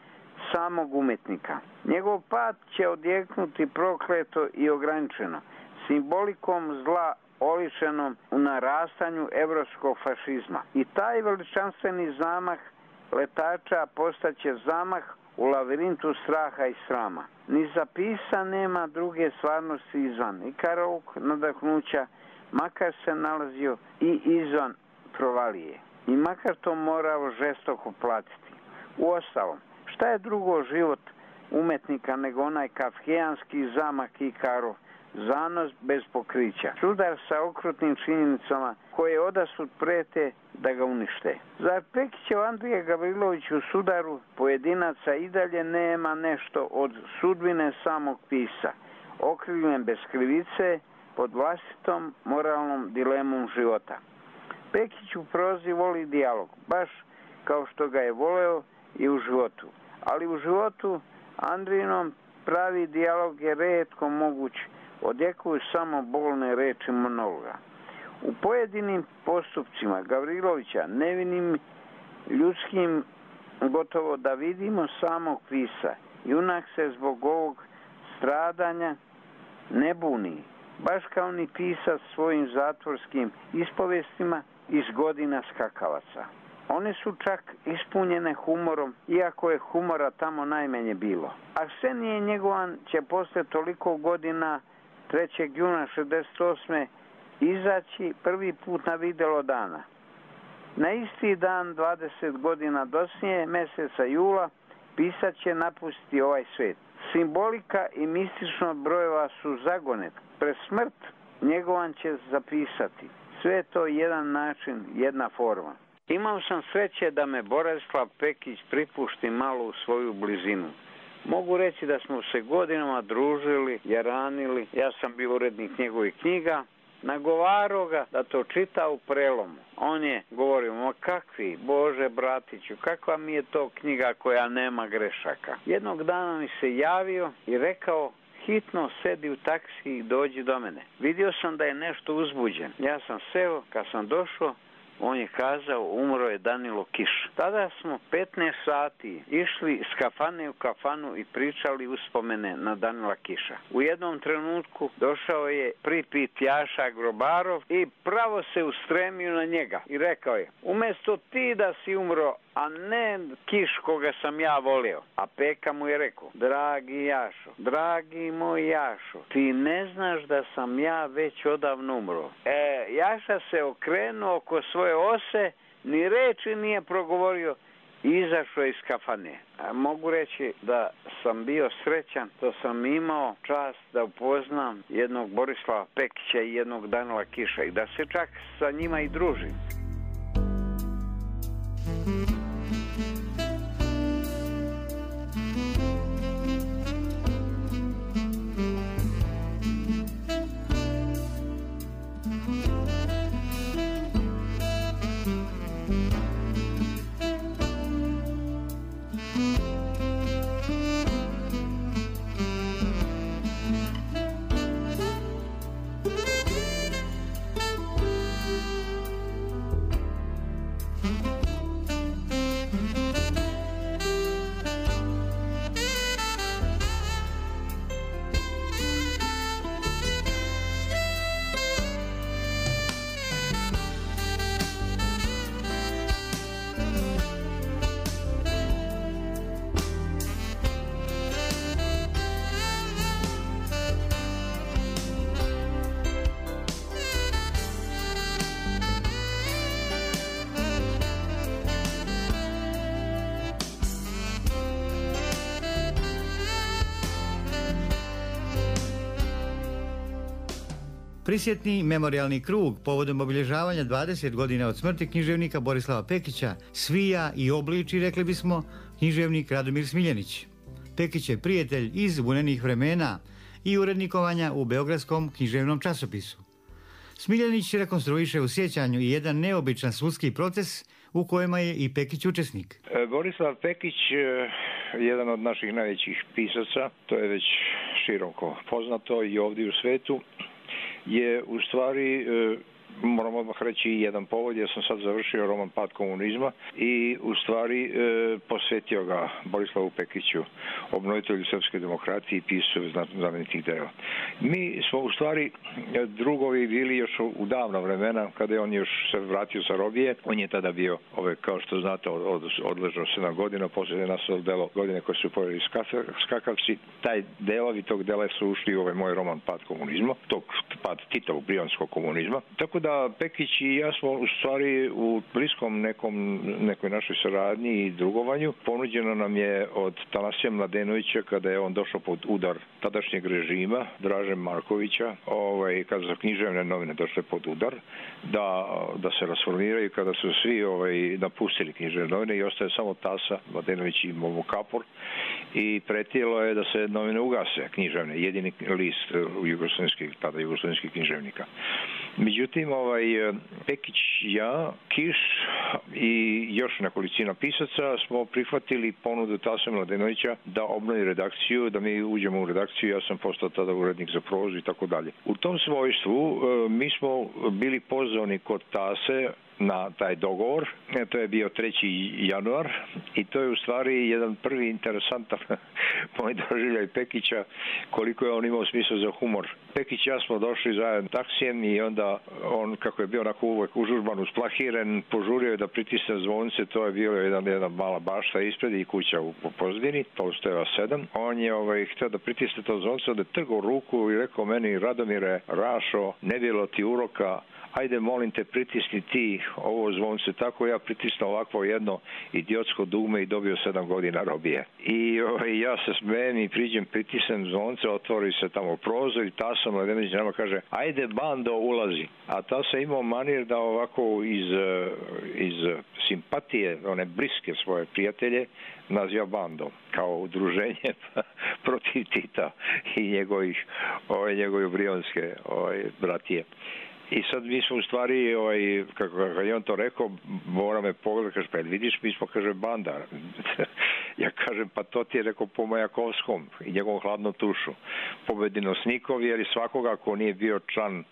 samog umetnika. Njegov pad će odjeknuti prokleto i ograničeno, simbolikom zla oličenom u narastanju evropskog fašizma. I taj veličanstveni zamah letača postaće zamah u lavirintu straha i srama. Ni za pisa nema druge stvarnosti izvan Ikarovog nadahnuća, makar se nalazio i izvan provalije. I makar to morao žestoko platiti. Uostalom, šta je drugo život umetnika nego onaj kafkijanski zamak Ikarov, zanos bez pokrića. Sudar sa okrutnim činjenicama koje odasud prete da ga unište. Zar Pekićev Andrija Gavrilović u sudaru pojedinaca i dalje nema nešto od sudbine samog pisa, okrivljen bez krivice pod vlastitom moralnom dilemom života. Pekić u prozi voli dijalog, baš kao što ga je voleo i u životu. Ali u životu Andrijinom pravi dijalog je retko moguć, odjekuju samo bolne reči monologa. U pojedinim postupcima Gavrilovića, nevinim ljudskim, gotovo da vidimo samog pisa, junak se zbog ovog stradanja ne buni, baš kao ni pisac svojim zatvorskim ispovestima iz godina skakavaca. One su čak ispunjene humorom, iako je humora tamo najmanje bilo. Arsenije Njegovan će posle toliko godina 3. juna 68. izaći prvi put na videlo dana. Na isti dan, 20 godina doslije, meseca jula, pisac će napustiti ovaj svet. Simbolika i mistično brojeva su zagonet. Pred smrt Njegovan će zapisati. Sve je to jedan način, jedna forma. Imao sam sreće da me Borislav Pekić pripušti malo u svoju blizinu. Mogu reći da smo se godinama družili, jaranili, ja sam bio urednik njegovih knjiga, nagovarao ga da to čita u prelomu. On je govorio, ma kakvi, Bože bratiću, kakva mi je to knjiga koja nema grešaka. Jednog dana mi se javio i rekao, hitno sedi u taksi i dođi do mene. Vidio sam da je nešto uzbuđen. Ja sam seo, kad sam došao, on je kazao, umro je Danilo Kiš. Tada smo 15 sati išli iz kafane u kafanu i pričali uspomene na Danila Kiša. U jednom trenutku došao je pripit Jaša Grobarov i pravo se ustremio na njega i rekao je, umjesto ti da si umro, a ne Kiš koga sam ja volio. A Peka mu je rekao, dragi Jašo, dragi moj Jašo, ti ne znaš da sam ja već odavno umro. Jaša se okrenuo oko svoje ose, ni reči nije progovorio i izašao iz kafane. Mogu reći da sam bio srećan, to sam imao čast da upoznam jednog Borislava Pekića i jednog Danila Kiša i da se čak sa njima i družim.
Prisjetni memorijalni krug povodom obilježavanja 20 godina od smrti književnika Borislava Pekića svija i obliči, rekli bismo, književnik Radomir Smiljanić. Pekić je prijatelj iz vunenih vremena i urednikovanja u Beogradskom književnom časopisu. Smiljanić rekonstruiše u sjećanju i jedan neobičan sudski proces u kojima je i Pekić učesnik.
Borislav Pekić, jedan od naših najvećih pisaca, to je već široko poznato i ovdje u svetu, je u stvari, moram odmah reći jedan povod, ja sam sad završio roman Pad komunizma i u stvari posvetio ga Borislavu Pekiću, obnovitelju srpske demokratije i pisacu znamenitih dela. Mi smo u stvari drugovi bili još u davna vremena, kada je on još se vratio sa robije. On je tada bio, kao što znate, odležao 7 godina, poslije je nastalo delo godine koje su pojeli skakavci. Taj delovi tog dela su ušli u ovaj moj roman Pad komunizma, tog pad Titovog brijanskog komunizma. Tako da Pekić i ja smo u stvari u bliskom nekoj našoj saradnji i drugovanju. Ponuđeno nam je od Tanasija Mladenovića, kada je on došao pod udar tadašnjeg režima, Draže Markovića, kada su književne novine došle pod udar, da se rasformiraju, kada su svi napustili književne novine i ostaje samo Tasa, Mladenović i Momo Kapor, i pretilo je da se novine ugase, književne, jedini list tada jugoslovenskih književnika. Međutim, Pekić, ja, Kiš i još nekolicina pisaca smo prihvatili ponudu Tase Mladenovića da obnovi redakciju, da mi uđemo u redakciju, ja sam postao tada urednik za prozu i tako dalje. U tom svojstvu mi smo bili pozvani kod Tase na taj dogovor. To je bio 3. januar i to je u stvari jedan prvi interesantan moj doživljaj Pekića, koliko je on imao smisla za humor. Pekić i ja smo došli zajedno taksijem i onda on, kako je bio onako uvek užurban, usplahiren, požurio je da pritisne zvonce, to je bio jedna mala bašta ispred i kuća u pozadini, Tolstojeva 7. On je htio da pritisne to zvonce, onda je trgao ruku i rekao meni: Radomire, Rašo, ne bilo ti uroka, ajde molim te pritisni ti ovo zvonce. Tako ja pritisnuo ovakvo jedno idiotsko dugme i dobio 7 godina robije. I ja se smijem i priđem, pritisnem zvonce, otvori se tamo prozor i Tasa Mladenović nama kaže: ajde bando, ulazi. A Tasa imao manir da ovako iz simpatije, one bliske svoje prijatelje, naziva bandom, kao udruženje protiv Tita i njegove brionske bratije. I sad mi smo u stvari, kako je on to rekao, mora me pogledati, kaže: pa vidiš, mi smo, kaže, banda. Ja kažem: pa to ti je rekao po Majakovskom i njegovom Hladnom tušu. Pobedinosnikov, jer i svakoga ko nije bio član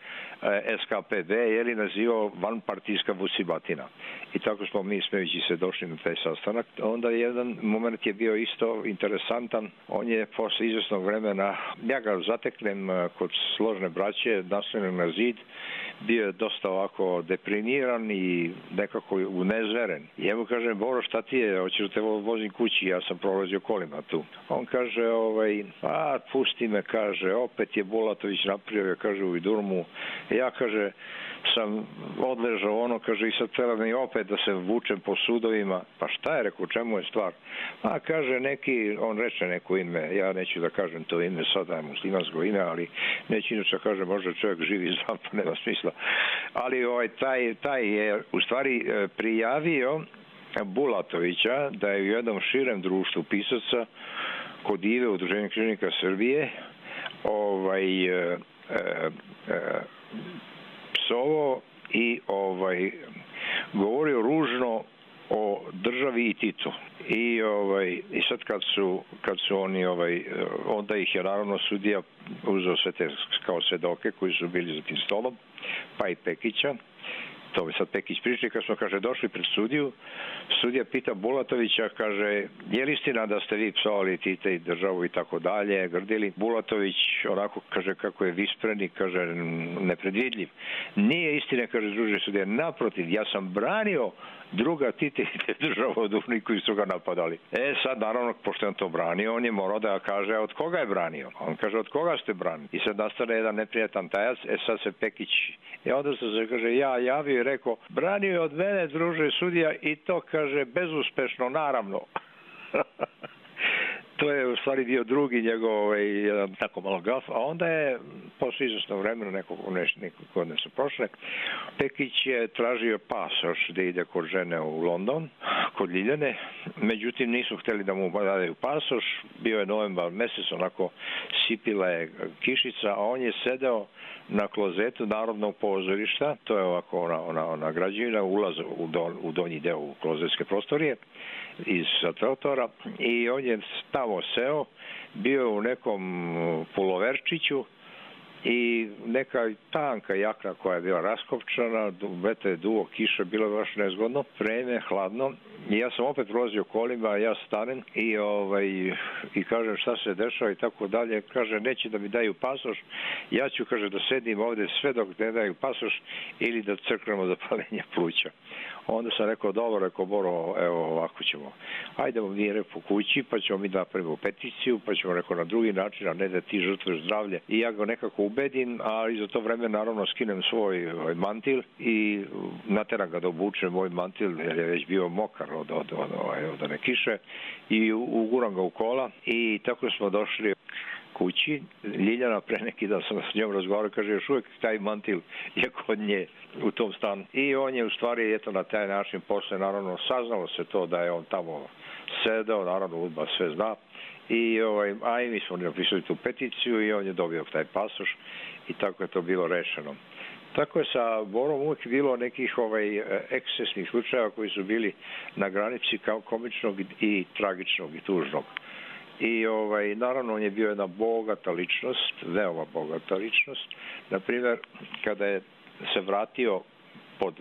SKPB, jer je nazivao vanpartijska vucibatina. I tako smo mi, smejući se, došli na taj sastanak. Onda jedan moment je bio isto interesantan. On je posle izvesnog vremena, ja ga zateknem kod složne braće, naslonjen na zid, bio je dosta ovako deprimiran i nekako unezveren. I ja mu kažem: Boro, šta ti je, hoćeš da te vozim kući, ja sam prolazio kolima tu. On kaže: pusti me, kaže, opet je Bulatović napravio, kaže, u Vidurmu. Ja, kaže, sam odležao kaže, i sad treba mi opet da se vučem po sudovima. Pa šta je, rekao, čemu je stvar? Kaže, on reče neko ime, ja neću da kažem to ime, sada je muslimansko ime, ali neću inače kaže, možda čovjek živi zdrav, pa nema smisla. Ali taj je u stvari prijavio Bulatovića da je u jednom širem društvu pisaca kod Ive, Udruženja književnika Srbije, psovao i govorio ružno o državi i Titu. I sad kad su oni onda ih je naravno sudija uzeo sve te kao svedoke koji su bili za tim stolom, pa i Pekića. To bi sad Pekić pričali, kad smo, kaže, došli pred sudiju, sudija pita Bulatovića, kaže: je li istina da ste vi psovali Tita i državu i tako dalje, grdili? Bulatović onako kaže kako je vispren i kaže nepredvidljiv. Nije istina, kaže druži sudija, naprotiv, ja sam branio druga Tita i državu od onih koji su ga napadali. Sad naravno, pošto on to branio, on je morao da kaže od koga je branio. On kaže: od koga ste branili? I sad nastane jedan neprijatan tajac, sad se Pekić, i onda se kaže, ja javio i rekao: branio je od mene, druže sudija, i to, kaže, bezuspešno, naravno. To je u stvari bio drugi njegov jedan tako malo gaf, a onda je posle izvesnog vremena nekog godine su prošle, Pekić je tražio pasoš da ide kod žene u London, kod Ljiljane, međutim nisu hteli da mu daju pasoš, bio je novembar mesec, onako sipila je kišica, a on je sedeo na klozetu Narodnog pozorišta, to je ovako ona građevina, ulaz u donji deo u klozetske prostorije iz Teotora, i on je tamo seo, bio u nekom puloverčiću i neka tanka jakna koja je bila raskopčana, vetar je duo, kiša, bilo je baš nezgodno, vreme, hladno, i ja sam opet prolazio kolima, ja stanem i kažem šta se dešava i tako dalje. Kaže: neće da mi daju pasoš, ja ću, kaže, da sedim ovde sve dok ne daju pasoš ili da crknemo za palenje pluća. Onda sam rekao: dobro, rekao Boro, evo ovako ćemo, ajdemo mi po kući, pa ćemo mi napravimo peticiju, pa ćemo, rekao, na drugi način, a ne da ti žrtvuješ zdravlje. I ja ga nekako ubedim, a za to vreme naravno skinem svoj mantil i nateram ga da obuče moj mantil, jer je već bio mokar od one kiše, i uguram ga u kola, i tako smo došli kući. Ljiljana, pre neki dan sam s njom razgovarao, kaže još uvijek taj mantil je kod nje u tom stanu. I on je u stvari na taj način posle, naravno, saznalo se to da je on tamo sedeo, naravno UDBA sve zna. A i mi smo napisali tu peticiju i on je dobio taj pasoš i tako je to bilo rešeno. Tako je sa Borom uvijek bilo nekih ekscesnih slučajeva koji su bili na granici kao komičnog i tragičnog i tužnog. I naravno on je bio jedna bogata ličnost, veoma bogata ličnost. Naprimjer, kada je se vratio pod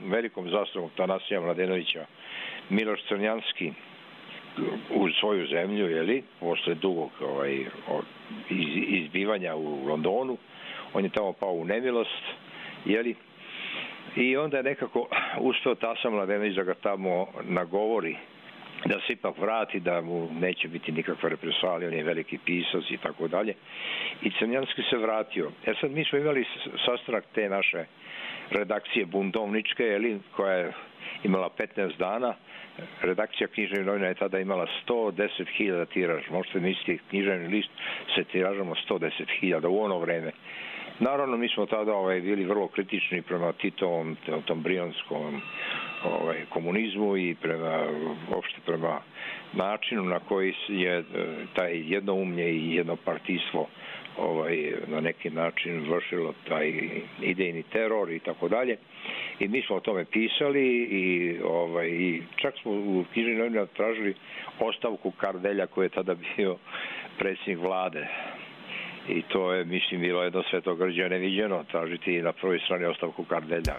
velikom zastavom Tanasija Mladenovića Miloš Crnjanski u svoju zemlju, posle dugog izbivanja u Londonu, on je tamo pao u nemilost, i onda je nekako uspeo Tasa Mladenović da ga tamo nagovori da se ipak vrati, da mu neće biti nikakva represalija, on je veliki pisac i tako dalje. I Crnjanski se vratio. Sad mi smo imali sastanak te naše redakcije buntovničke, koja je imala 15 dana. Redakcija književnih novina je tada imala 110.000 tiraž. Možete misliti, književni list se tiražamo 110.000 u ono vreme. Naravno, mi smo tada bili vrlo kritični prema Titovom, tom brionskom komunizmu i uopšte prema načinu na koji je taj jednoumlje i jednopartijstvo na neki način vršilo taj idejni teror i tako dalje. I mi smo o tome pisali i čak smo u književnim novinama tražili ostavku Kardelja koji je tada bio predsjednik vlade. I to je, mislim, bilo jedno svetogrđe neviđeno, tražiti na prvoj strani ostavku Kardelja.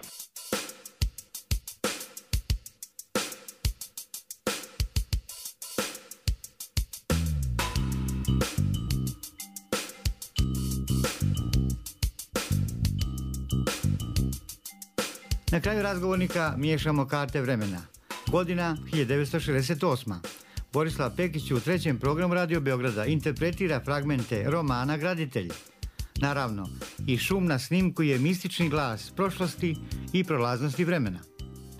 Na kraju razgovornika miješamo karte vremena. Godina 1968. Borislav Pekić u trećem programu Radio Beograda interpretira fragmente romana Graditelj. Naravno, i šum na snimku je mistični glas prošlosti i prolaznosti vremena.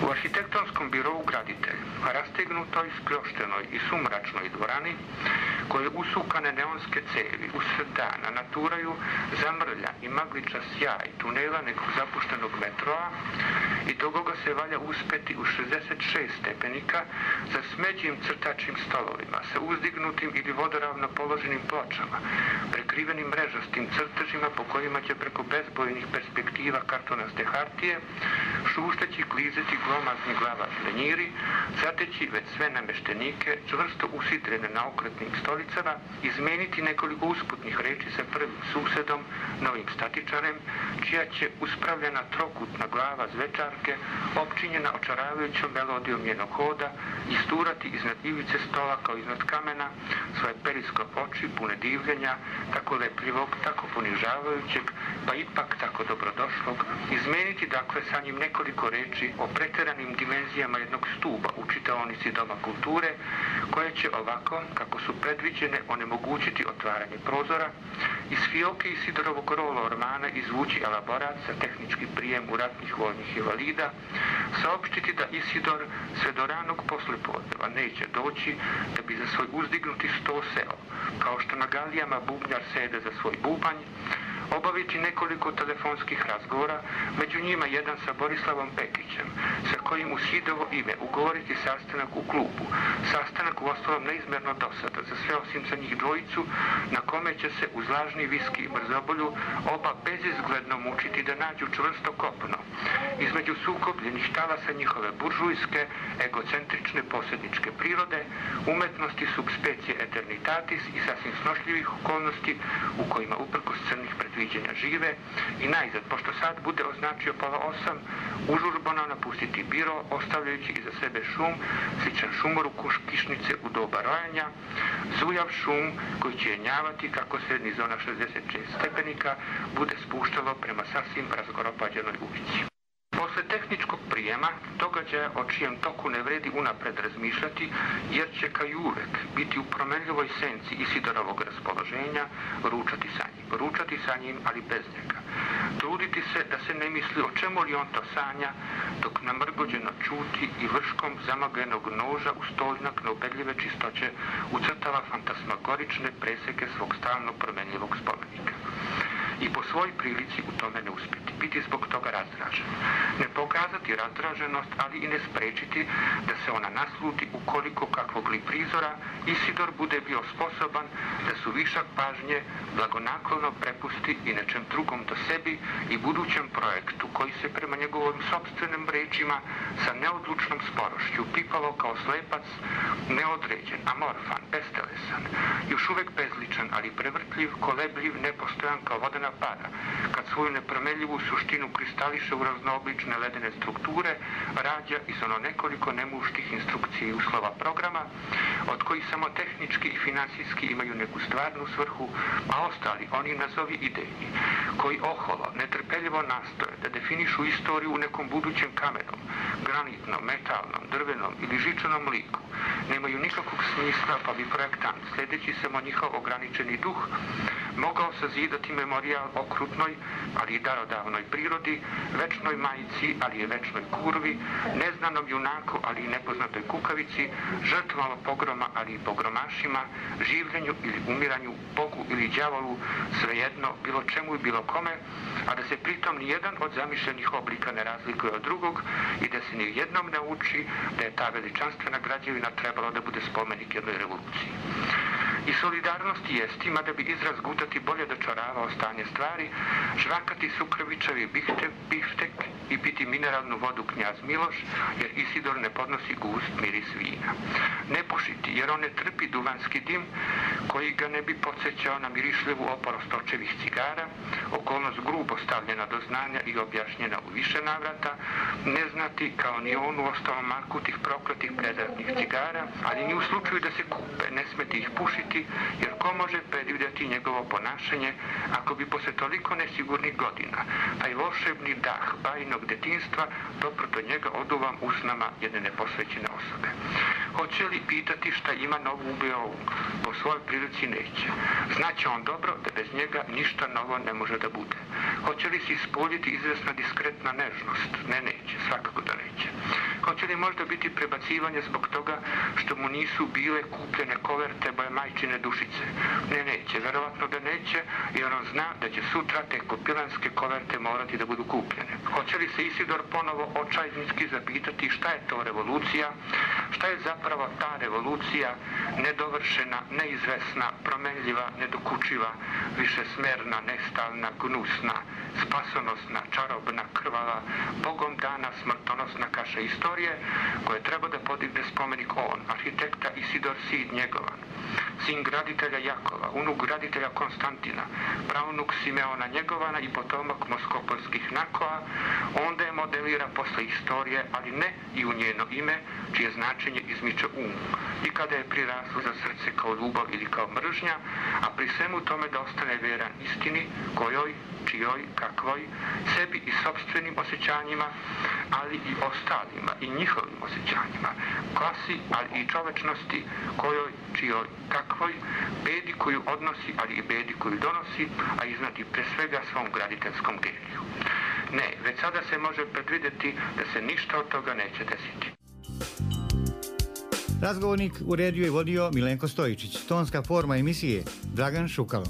U arhitektonskom birovu Graditelj, rastegnutoj, spljoštenoj i sumračnoj dvorani, koje usukane neonske cevi usred dana naturaju zamrlja i magliča sjaj tunela nekog zapuštenog metroa i toga se valja uspeti u 66 stepenika za smeđim crtačim stolovima sa uzdignutim ili vodoravno položenim pločama, prekrivenim mrežastim crtežima po kojima će preko bezbojnih perspektiva kartonaste hartije, šušteći, klizeći glomazni glavac lenjiri, zateći već sve nameštenike, čvrsto usidrene na okretnim stolicama, izmeniti nekoliko usputnih reči sa prvim susedom, novim statičarem, čija će uspravljena trokutna glava zvečarke, opčinjena očaravajućom melodijom njenog hoda, isturati iznad ivice stola kao iznad kamena svoje periskop oči pune divljenja, tako lepljivog, tako ponižavajućeg, pa ipak tako dobrodošlog, izmeniti dakle sa njim nekoliko reči o preteranim dimenzijama jednog stuba u čitaonici Doma kulture, koje će ovako, kako su predviđene, onemogućiti otvaranje prozora, iz fioke Isidorovog rola ormana izvući elaborat za tehnički prijem u ratnih vojnih invalida, saopštiti da Isidor sve do ranog poslepodneva neće doći da bi za svoj uzdignuti sto seo, kao što na galijama bubnjar sede za svoj bubanj, obaviti nekoliko telefonskih razgovora, među njima jedan sa Borislavom Pekićem, sa kojim u Sidovo ime ugovoriti sastanak u klubu. Sastanak u ostalom neizmerno dosada za sve osim za njih dvojicu, na kome će se uz lažni viski i mrzobolju oba bezizgledno mučiti da nađu čvrsto kopno. Između sukobljenih talasa njihove buržujske, egocentrične posjedničke prirode, umetnosti subspecie eternitatis i sasvim snošljivih okolnosti u kojima uprkos crnih predviđenja žive i najzad, pošto sad bude označio pola 8, užurbano napustiti biro, ostavljajući iza sebe šum, sličan šumoru kišnice u doba rojanja, zujav šum koji će jenjavati kako se niz ona 66 stepenika bude spuštalo prema sasvim razgoropađenoj ulici. Posle tehničkog prijema, događaja o čijem toku ne vredi unapred razmišljati, jer će kao i uvek biti u promenljivoj senci Isidorovog raspoloženja ručati sa njim. ručati sa njim, ali bez njega. Truditi se da se ne misli o čemu li on to sanja, dok namrgođeno čuti i vrškom zamagljenog noža u stoljnak neubedljive čistoće ucrtava fantasmagorične preseke svog stalno promenljivog spomenika. I po svoj prilici u tome ne uspjeti, biti zbog toga razdražen. Ne pokazati razdraženost, ali i ne sprečiti da se ona nasluti ukoliko kakvog li prizora Isidor bude bio sposoban da su višak pažnje blagonaklono prepusti i nečem drugom do sebi i budućem projektu koji se prema njegovim sopstvenim rečima sa neodlučnom sporošću pipalo kao slepac, neodređen, amorfan, bestelesan, još uvek bezličan, ali prevrtljiv, kolebljiv, nepostojan kao vodena para, kad svoju nepromenljivu suštinu kristališe u raznooblične ledene strukture, rađa iz ono nekoliko nemuštih instrukcija i uslova programa, od kojih samo tehnički i finansijski imaju neku stvarnu svrhu, a ostali, oni nazovi idejni, koji oholo, netrpeljivo nastoje da definišu istoriju u nekom budućem kamenom, granitnom, metalnom, drvenom ili žičanom liku, nemaju nikakvog smisla, pa bi projektant, sledeći samo njihov ograničeni duh, mogao sazidati memorijal okrutnoj, ali i darodavnoj prirodi, večnoj majici, ali i večnoj kurvi, neznanom junaku, ali i nepoznatoj kukavici, žrtvama pogroma, ali i pogromašima, življenju ili umiranju, Bogu ili đavolu, svejedno, bilo čemu i bilo kome, a da se pritom nijedan od zamišljenih oblika ne razlikuje od drugog i da se nijednom ne uči da je ta veličanstvena građevina trebalo da bude spomenik jednoj revoluciji. I solidarnost jest, ima da bi izraz gutati bolje dočaravao stanje stvari, žvakati sukrvičavi biftek i piti mineralnu vodu knjaz Miloš, jer Isidor ne podnosi gust miris vina. Ne pušiti, jer on ne trpi duvanski dim, koji ga ne bi podsjećao na mirišljivu oporost očevih cigara, okolnost grubo stavljena do znanja i objašnjena u više navrata, ne znati kao ni on u ostalom marku tih prokletih predratnih cigara, ali ni u slučaju da se kupe, ne smeti ih pušiti, jer ko može predvidjeti njegovo ponašanje ako bi posle toliko nesigurnih godina, taj volšebni dah bajnog detinjstva doprto njega oduvam usnama jedne neposvećene osobe. Hoće li pitati šta ima novo u Beovu? Po svojoj prilici neće. Znaće on dobro da bez njega ništa novo ne može da bude. Hoće li se ispoljiti izvesna diskretna nežnost? Ne, neće, svakako da neće. Hoće li možda biti prebacivanje zbog toga što mu nisu bile kupljene koverte boje majčine dušice? Ne, neće, verovatno da neće, jer on zna da će sutra te kopilanske koverte morati da budu kupljene. Hoće li se Isidor ponovo očajnički zapitati šta je to revolucija? Šta je zapravo ta revolucija, nedovršena, neizvesna, promenljiva, nedokučiva, višesmerna, nestalna, gnusna, spasonosna, čarobna, krvala, Bogom dana smrtonosna kaša istorije, koje treba da podigne spomenik on, arhitekta Isidor Sid Njegovan, sin graditelja Jakova, unuk graditelja Konstantina, pravnuk Simeona Njegovana i potomak moskopolskih Nakoa, onda je modelira posle istorije, ali ne i u njeno ime, čije značenje izmiče i kada je priraslo za srce kao ljubav ili kao mržnja, a pri svemu tome da ostane veran istini, kojoj, čijoj, kakvoj, sebi i sopstvenim osjećanjima, ali i ostalima i njihovim osjećanjima, klasi, ali i čovečnosti, kojoj, čijoj, kakvoj, bedi koju odnosi, ali i bedi koju donosi, a iznad i pre svega svom graditeljskom geniju. Ne, već sada se može predvidjeti da se ništa od toga neće desiti.
Razgovornik uredio i vodio Milenko Stojičić, tonska forma emisije Dragan Šukalo.